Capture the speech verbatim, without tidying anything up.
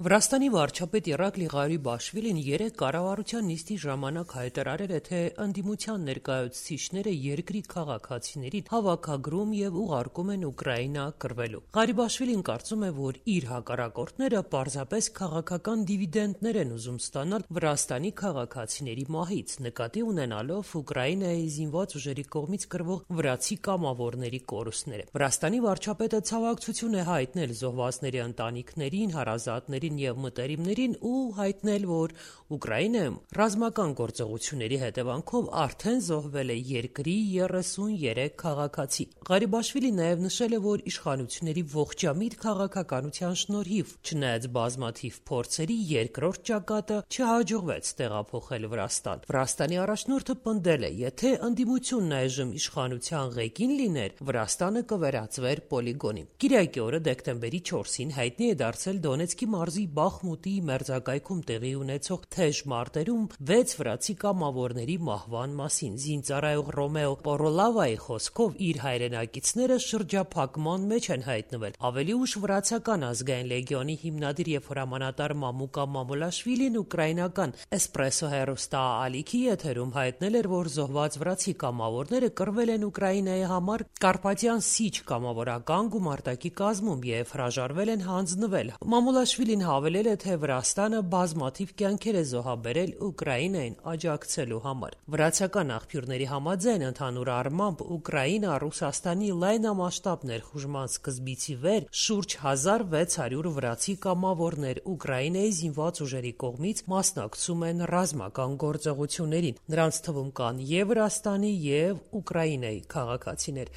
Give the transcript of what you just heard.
Վրաստանի վարչապետ Իրակլի Ղարիբաշվիլին երեկ կառավարության նիստի ժամանակ հայտարարել է, թե ընդդիմության ներկայացուցիչները երկրի քաղաքացիներին հավաքագրում եւ ուղարկում են Ուկրաինա կռվելու։ Ղարիբաշվիլին կարծում է, որ իր հակառակորդները պարզապես քաղաքական դիվիդենտներ են ուզում ստանալ Վրաստանի քաղաքացիների մահից, նկատի ունենալով Ուկրաինայի զինված ուժերի կողմից կռվող վրացի կամավորների կորուստները։ Վրաստանի վարչապետը ցավակցություն է հայտնել զոհվածների ընտանիքներին, հարազատներին եւ մտերիմներին ու հայտնել, որ Ուկրաինայում ռազմական գործողությունների հետևանքով արդեն զոհվել է երկրի երեսուներեք քաղաքացի։ Ղարիբաշվիլին նաեւ նշել է, որ իշխանությունների ողջամիտ քաղաքականության շնորհիվ, չնայած բազմաթիվ փորձերի, երկրորդ ճակատը չհաջողվեց տեղափոխել Վրաստան։ Վրաստանի առաջնորդը պնդել է, եթե ընդդիմությունն այժմ իշխանության ղեկին լիներ, Վրաստանը կվերածվեր պոլիգոնի։ Կիրակի օրը դեկտեմբերի չորսին հայտնի է դարձել Դոնեցկի մարզի Բախմուտի մերձակայքում տեղի ունեցող թեժ մարտերում վեց վրացի կամավորների մահվան մասին։ Զինծառայող Ռոմեո Պորոլավայի խոսքով իր հայրենակիցները շրջափակման մեջ են հայտնվել։ Ավելի ուշ վրացական ազգային լեգիոնի հիմնադիր եւ հրամանատար Մամուկա Մամուլաշվիլին ուկրաինական Էսպրեսո հեռուստաալիքի եթերում հայտնել էր, որ զոհված վրացի կամավորները կռվել են Ուկրաինայի համար Կարպատյան Սիչ կամավորական գումարտակի կազմում եւ հրաժարվել են հանձնվել։ Մամուլաշվիլին հավելել է, թե Վրաստանը բազմաթիվ կյանքեր է զոհաբերել Ուկրաինային աջակցելու համար։ Վրացական աղբյուրների համաձայն, ընդհանուր առմամբ Ուկրաինա Ռուսաստանի լայնամասշտաբ ներխուժման սկզբից ի վեր շուրջ հազար վեց հարյուր վրացի կամավորներ Ուկրաինայի զինված ուժերի կողմից մասնակցում են ռազմական գործողություններին։ Նրանց թվում կան եւ Վրաստանի, եւ Ուկրաինայի քաղաքացիներ։